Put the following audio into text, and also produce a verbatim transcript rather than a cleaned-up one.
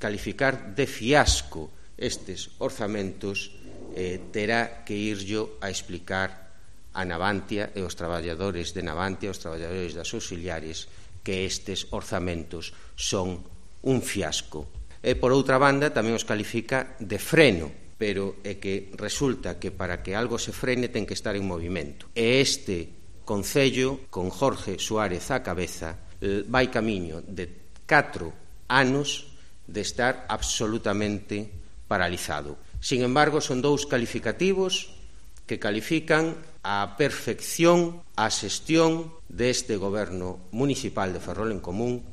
calificar de fiasco estes orzamentos, eh, terá que irllo a explicar a Navantia e os traballadores de Navantia, os traballadores das auxiliares, que estes orzamentos son un fiasco. E, por outra banda, tamén os califica de freno, pero é que resulta que para que algo se frene ten que estar en movimento. E este Concello, con Jorge Suárez á cabeza, vai camiño de catro anos de estar absolutamente paralizado. Sin embargo, son dous calificativos que califican a perfección a xestión deste goberno municipal de Ferrol en Común